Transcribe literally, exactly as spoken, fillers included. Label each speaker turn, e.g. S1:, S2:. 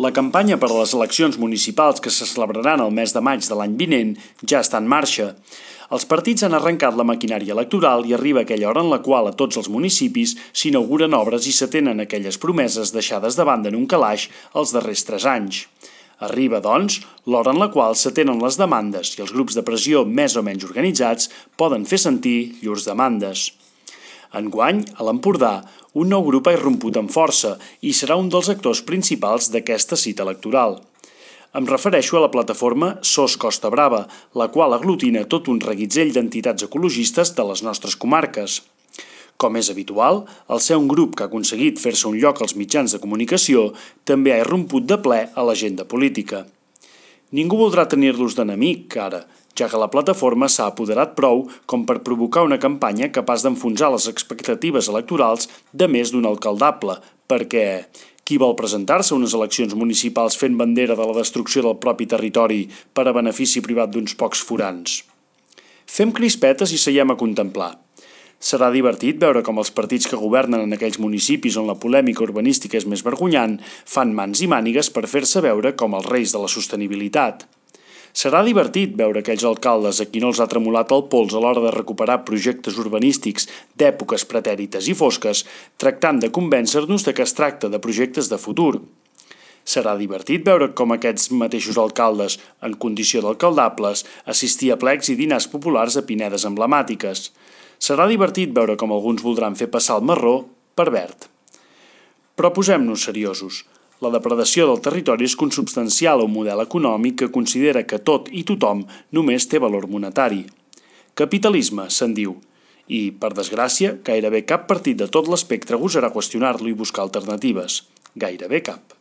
S1: La campanya per a les eleccions municipals que se celebraran el mes de maig de l'any vinent ja està en marxa. Els partits han arrencat la maquinària electoral i arriba aquella hora en la qual a tots els municipis s'inauguren obres i s'atenen aquelles promeses deixades de banda en un calaix els darrers tres anys. Arriba, doncs, l'hora en la qual s'atenen les demandes i els grups de pressió més o menys organitzats poden fer sentir llurs demandes. Enguany, a l'Empordà, un nou grup ha irromput amb força i serà un dels actors principals d'aquesta cita electoral. Em refereixo a la plataforma Sos Costa Brava, la qual aglutina tot un reguitzell d'entitats ecologistes de les nostres comarques. Com és habitual, al ser un grup que ha aconseguit fer-se un lloc als mitjans de comunicació, també ha irromput de ple a l'agenda política. Ningú voldrà tenir-los d'enemic, ara, ja que la plataforma s'ha apoderat prou com per provocar una campanya capaç d'enfonsar les expectatives electorals de més d'un alcaldable, perquè qui vol presentar-se a unes eleccions municipals fent bandera de la destrucció del propi territori per a benefici privat d'uns pocs forans? Fem crispetes i seiem a contemplar. Serà divertit veure com els partits que governen en aquells municipis on la polèmica urbanística és més vergonyant fan mans i mànigues per fer-se veure com els reis de la sostenibilitat. Serà divertit veure aquells alcaldes a qui no els ha tremolat el pols a l'hora de recuperar projectes urbanístics d'èpoques pretèrites i fosques, tractant de convèncer-nos de que es tracta de projectes de futur. Serà divertit veure com aquests mateixos alcaldes, en condició d'alcaldables, assistir a plecs i dinars populars a pinedes emblemàtiques. Serà divertit veure com alguns voldran fer passar el marró per verd. Però posem-nos seriosos. La depredació del territori és consubstancial a un model econòmic que considera que tot i tothom només té valor monetari. Capitalisme, se'n diu. I, per desgràcia, gairebé cap partit de tot l'espectre gosarà qüestionar-lo i buscar alternatives. Gairebé cap.